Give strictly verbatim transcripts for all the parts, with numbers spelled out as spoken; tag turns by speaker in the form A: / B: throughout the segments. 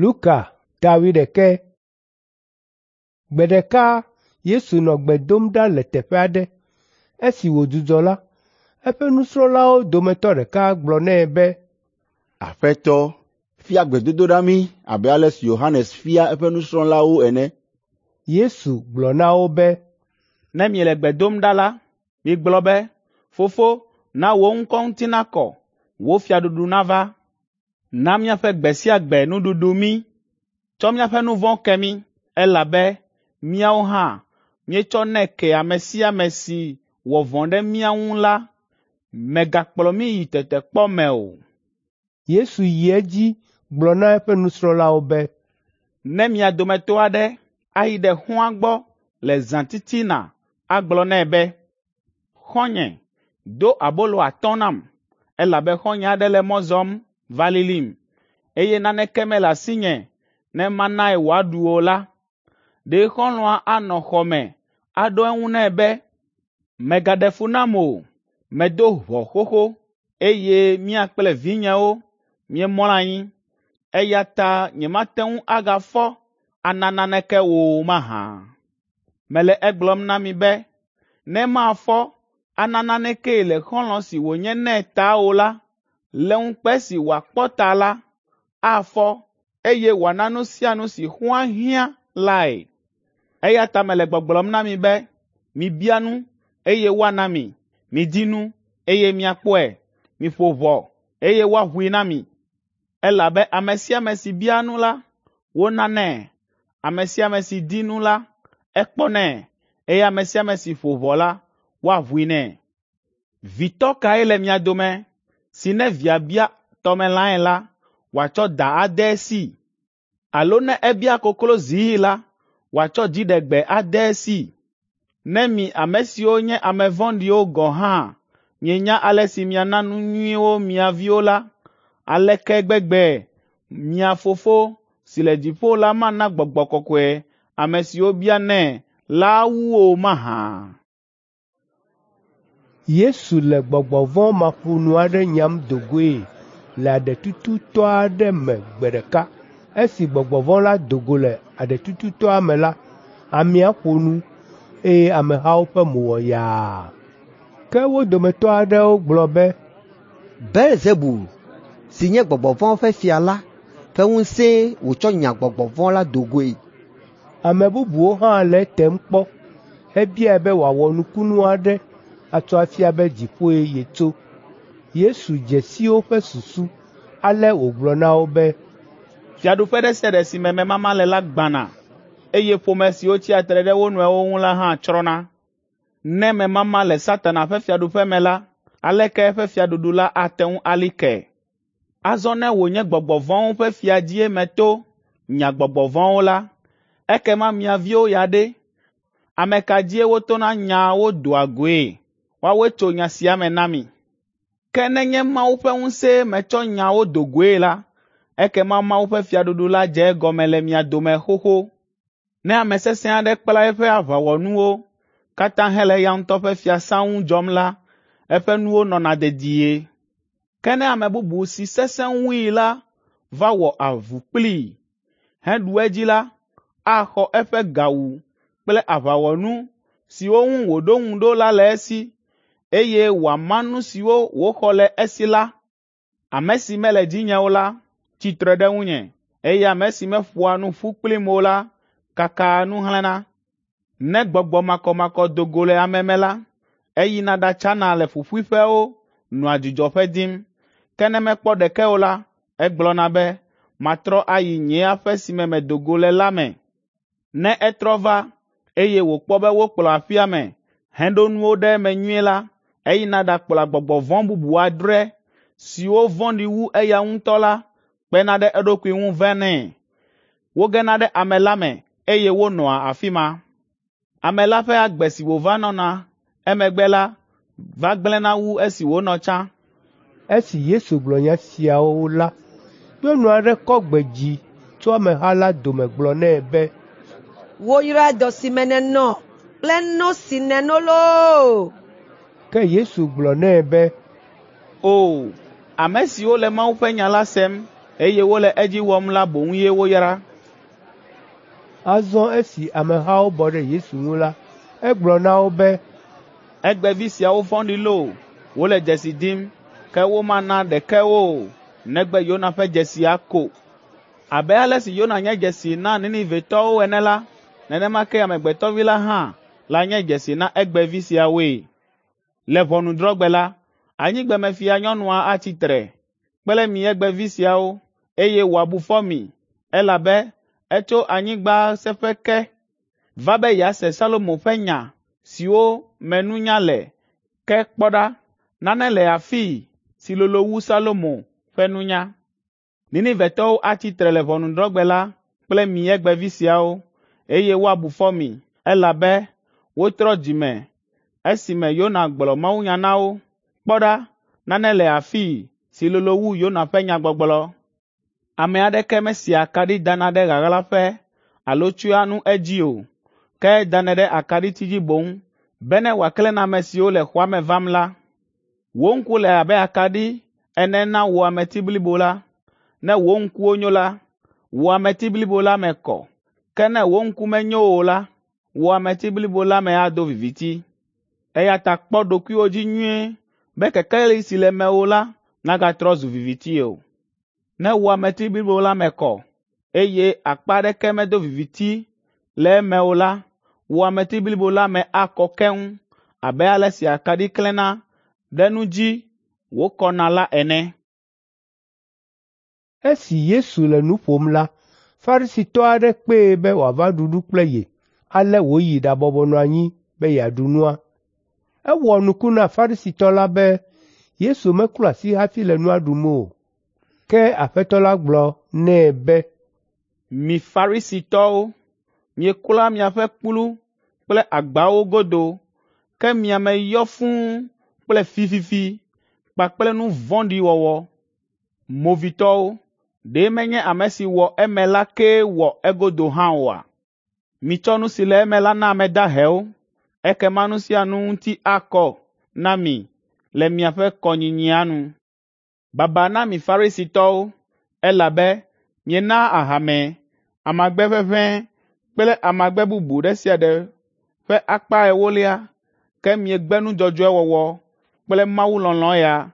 A: Luka ta wuiɖekɛ. Gbe ɖeka Yesu nɔ gbe dom ɖa le teƒe aɖe. Esi wòdzudzɔ la, eƒe nusrɔ̃lawo dometɔ ɖeka gblɔ nɛ be,
B: “Aƒetɔ, fia gbedodoɖa mí abe ale si Yohanes fia eƒe nusrɔ̃lawo ene.”
A: Yesu gblɔ na wo be,
C: “Ne miele gbe dom ɖa la, migblɔ be, ‘Fofo, na wò ŋkɔ ŋuti nakɔ, wò fiaɖuɖu nava. Na míaƒe gbe sia gbe nuɖuɖu mí. Tsɔ míaƒe nu vɔ̃wo ke mí, elabe míawo hã míetsɔnɛ kea ame sia ame si wɔ vɔ̃ ɖe mía ŋu la. Mègakplɔ mí yi tetekpɔ me o.’
A: Yesu yi edzi gblɔ na eƒe nusrɔ̃lawo be,
C: “Ne mia dometɔ aɖe ayi ɖe xɔ̃a gbɔ le zãtitina agblɔ nɛ be, ‘Xɔ̃nye, do abolo atɔ̃ nam, elabe xɔ̃nye aɖe le mɔ zɔm va lilim, eye naneke mele asinye ne manae wòaɖu o la,’ ɖe xɔlɔ̃a anɔ xɔ me aɖo eŋu nɛ be, ‘Mègaɖe fu nam o, medo ʋɔ xoxo, eye mía kple vinyewo míemlɔ anyi, eya ta nyemate ŋu agafɔ ana naneke wò o mahã?’ Mele egblɔm na mi be, ne mafɔ ana nanekee le xɔlɔ̃ si wònye nɛ ta o la, le ŋukpe si wòakpɔ ta la, afɔ, eye wòana nu sia nu si xɔ̃a hiã lae. Eya ta mele gbɔgblɔm na mi be, mibia nu, eye woana mi; midi nu, eye miakpɔe; miƒo ʋɔ, eye woaʋui na mi. Elabe ame sia ame si bia nu la, wonanɛ; ame sia ame si di nu la, ekpɔnɛ, eye ame sia ame si ƒo ʋɔ la, woaʋui nɛ. Vitɔ kae le mia dome si ne via bia tɔmelãe la, wòatsɔ da ade esii? Alo ne ebia koklozii la, wòatsɔ dziɖegbe ade esii? Ne mi ame siwo nye ame vɔ̃ɖiwo gɔ̃ hã mienya ale si miana nu nyuiwo mia viwo la, aleke gbegbe mia Fofo si le dziƒo la mana Gbɔgbɔ Kɔkɔe ame siwo bianɛ la wu o mahã?”
A: Yesu le gbɔgbɔ vɔ̃ maƒonu aɖe nyam do goe le aɖetututɔ aɖe me gbe ɖeka. Esi gbɔgbɔ vɔ̃ la do go le aɖetututɔa me la, amea ƒo nu, eye amehawo ƒe mo wɔ yaa. Ke wo dometɔ aɖewo gblɔ be,
D: “Belzebul, si nye gbɔgbɔ vɔ̃wo ƒe fia la ƒe ŋusẽe wòtsɔ nya gbɔgbɔ vɔ̃ la do goe.”
A: Ame bubuwo hã le etem kpɔ hebiae be wòawɔ nukunu aɖe atsɔ afia be dziƒoe yetso. Yesu dze si woƒe susu, ale wògblɔ na wo be,
C: “Fiaɖuƒe ɖe sia ɖe si me memama le la gbãna, eye ƒome siwo tsia tre ɖe wo nɔewo ŋu la hã tsrɔ̃na. Ne memama le Satana ƒe fiaɖuƒe me la, aleke eƒe fiaɖuɖu la ate ŋu ali ke? Azɔ ne wònye gbɔgbɔ vɔ̃wo ƒe fia dzie meto nya gbɔgbɔ vɔ̃wo la, ekema mia viwo ya ɖe, ame ka dzie wotona nyaa wo doa goe? Woawoe tso nya sia me na mi. Ke nenye Mawu ƒe ŋusẽe metsɔ nya wo do goe la, ekema Mawu ƒe fiaɖuɖu la dze egɔme le mia dome xoxo. Ne ame sesẽ aɖe kpla eƒe aʋawɔnuwo katã hele eya ŋutɔ ƒe fiasã ŋu dzɔm la, eƒe nuwo nɔna dedie. Ke ne ame bubu si sesẽ wui la va wɔ avu kplii heɖu edzi la, axɔ eƒe gawu kple aʋawɔnu siwo ŋu wòɖo ŋu ɖo la le esi, eye wòama nu siwo wòxɔ le esi la. Ame si mele dzinye o la tsi tre ɖe ŋunye, eye ame si meƒoa nu ƒu kplim o la kakaa nu xlẽna. Ne gbɔgbɔ makɔmakɔ do go le ame me la, eyina ɖatsana le ƒuƒuiƒewo nɔa dzudzɔƒe dim. Ke ne mekpɔ ɖeke o la, egblɔna be, ‘Matrɔ ayi nye aƒe si me medo go le la me.’ Ne etrɔ va, eye wòkpɔ be wokplɔ aƒea me heɖo nuwo ɖe eme nyuie la, eyina ɖakplɔa gbɔgbɔ vɔ̃ bubu adre siwo vɔ̃ɖi wu eya ŋutɔ la kpena ɖe eɖokui ŋu vanɛ. Wogena ɖe ame la me, eye wonɔa afi ma. Ame la ƒe agbe si wòva nɔna emegbe la va gblẽna wu esi wònɔ tsã.”
A: Esi Yesu gblɔ nya siawo la, nyɔnu aɖe kɔ gbe dzi tso ameha la dome gblɔ nɛ be,
E: “Woyra dɔ si me nènɔ kple no si nèno loo!”
A: Ke Yesu gblɔ nɛ be,
C: “O, ame siwo le Mawu ƒe nya la sem, eye wole edzi wɔm la boŋ ye woyra.
A: Azɔ esi amehawo bɔ ɖe Yesu ŋu la, egblɔ na wo be,
C: Egbevi siawo vɔ̃ɖi loo, wole dzesi dim, ke womana ɖeke wo o, negbe Yona ƒe dzesia ko. Abe ale si Yona nye dzesi na Ninivetɔwo ene la, nenema ke Amegbetɔ Vi la hã lanye dzesi na egbevi siawoe. Le ʋɔnudrɔ̃gbe la, anyigbemefia nyɔnua atsi tre kple mi egbevi siawo, eye wòabu fɔ mi, elabe etso anyigba seƒe ke va be yease Salomo ƒe nya siwo me nunya le. Ke kpɔ ɖa, nane le afii si lolo wu Salomo ƒe nunya. Ninivetɔwo atsi tre le ʋɔnudrɔ̃gbe la kple mi egbevi siawo, eye woabu fɔ mi, elabe wotrɔ dzime esime Yona gblɔ mawunya na wo. Kpɔ ɖa, nane le afii si lolo wu Yona ƒe nyagbɔgblɔ. Ame aɖeke mesia akaɖi dana ɖe ɣaɣlaƒe alo tsyɔa nu edzi o, ke edanɛ ɖe akaɖiti dzi boŋ bene wòaklẽ na ame siwo le xɔa me vam la. Wò ŋku le abe akaɖi ene na wò ameti blibo la. Ne wò ŋkuwo nyo la, wò ameti blibo la me kɔ, ke ne wò ŋku menyo o la, wò ameti blibo la me ado viviti. Eya ta kpɔ ɖokuiwò dzi nyuie be kekeli si le mewò la nagatrɔ zu viviti o. Ne wò ameti blibo la me kɔ, eye akpa aɖeke medo viviti le eme o la, wò ameti blibo la me akɔ keŋ abe ale si akaɖi klẽna ɖe nu dzi wòkɔna la ene.
A: Esi Yesu le nu ƒom la, Farisitɔ aɖe kpee be wòava ɖu nu kple ye. Ale wòyi ɖabɔbɔ nɔ anyi be yeaɖu nua. Ewɔ nuku na Farisitɔ la be Yesu meklɔ asi hafi le nua ɖum o. Ke Aƒetɔ la gblɔ nɛ be,
C: Mi Farisitɔwo, mieklɔa miaƒe kplu kple agbawo godo, ke mia me yɔ fũu kple fififi kpakple nu vɔ̃ɖi wɔwɔ. Movitɔwo, ɖe menye ame si wɔ eme la kee wɔ egodo hã oa? Mitsɔ nu si le eme la na ame dahewo, ekema nu sia nu ŋuti akɔ na mi le miaƒe kɔnyinyia nu. Baba na mi Farisitɔwo, elabe mienaa ahame, amagbe ʋeʋẽe kple amagbe bubu ɖe sia ɖe ƒe akpa ewolia, ke miegbe nu dzɔdzɔe wɔwɔ kple mawulɔlɔ̃ ya.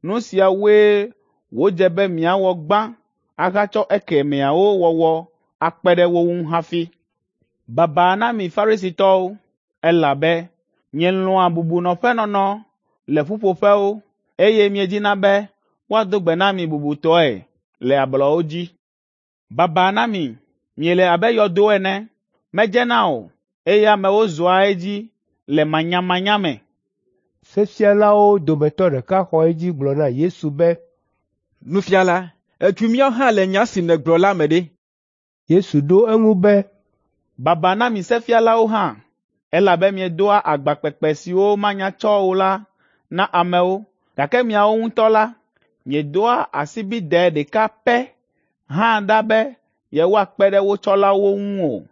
C: Nu siawoe wòdze be miawɔ gbã ahatsɔ ekemɛawo wɔwɔ akpe ɖe wo ŋu hafi. Baba na mi Farisitɔwo, elabe mielɔ̃a bubunɔƒenɔnɔ le ƒuƒoƒewo, eye miedina be woado gbe na mi bubutɔe le ablɔwo dzi. Baba na mi, miele abe yɔdo ene, medzena o, eye amewo zɔa edzi le manyamanya me.
A: Sefialawo dometɔ ɖeka xɔ edzi gblɔ na Yesu be,
F: Nufiala, ètu míawo hã le nya si nègblɔ la me ɖe.
A: Yesu ɖo eŋu be,
C: Baba na mi sefialawo hã, elabe miedoa agba kpekpe siwo manya tsɔ o la na amewo, gake miawo ŋutɔ la, miedoa asibidɛ ɖeka pɛ hã ɖa be yewoakpe ɖe wo tsɔlawo ŋu o.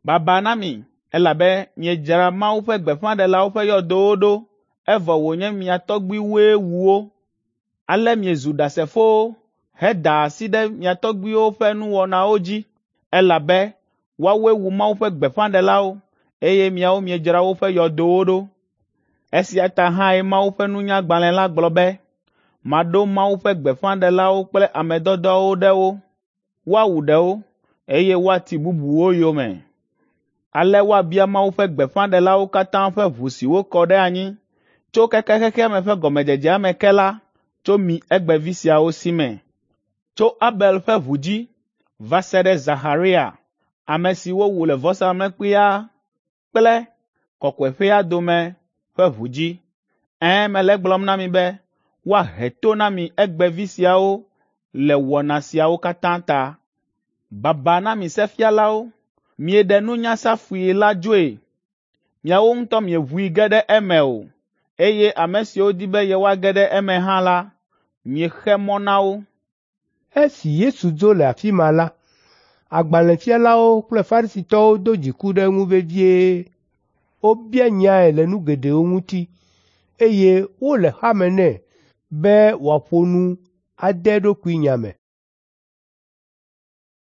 C: Baba na mi, elabe miedzra Mawu ƒe gbeƒãɖelawo ƒe yɔdowo ɖo, evɔ wònye mia tɔgbuiwoe wu wo. Ale miezu ɖasefowo heda asi ɖe mia tɔgbuiwo ƒe nuwɔnawo dzi, elabe woawoe wu Mawu ƒe gbeƒãɖelawo, eye miawo miedzra woƒe yɔdowo ɖo. Esia ta hãe Mawu ƒe nunyagbalẽ la gblɔ be, ‘Maɖo Mawu ƒe gbeƒãɖelawo kple ame dɔdɔwo ɖe wo. Woawu ɖewo, eye woati bubuwo yome.’ Ale woabia Mawu ƒe gbeƒãɖelawo katã ƒe ʋu si wokɔ ɖe anyi tso keke xexea me ƒe gɔmedzedzea me ke la tso mi egbevi siawo si me. Tso Abel ƒe ʋu dzi va se ɖe Zaxaria, ame si wowu le vɔsamlekpuia kple kɔkɔeƒea dome ƒe ʋu dzi. Ɛ̃, mele egblɔm na mi be woahe to na mi egbevi siawo le wɔna siawo katã ta. Baba na mi sefialawo, mieɖe nunya safui la dzoe. Miawo ŋutɔ mieʋui ge ɖe eme o, eye ame siwo di be yewoage ɖe eme hã la, miexe mɔ na wo.
A: Esi Yesu dzo le afi ma la, agbalẽfialawo kple Farisitɔwo do dziku ɖe eŋu vevie. Wobia nyae le nu geɖewo ŋuti, eye wole xame nɛ be wòaƒo nu ade eɖokui nya me.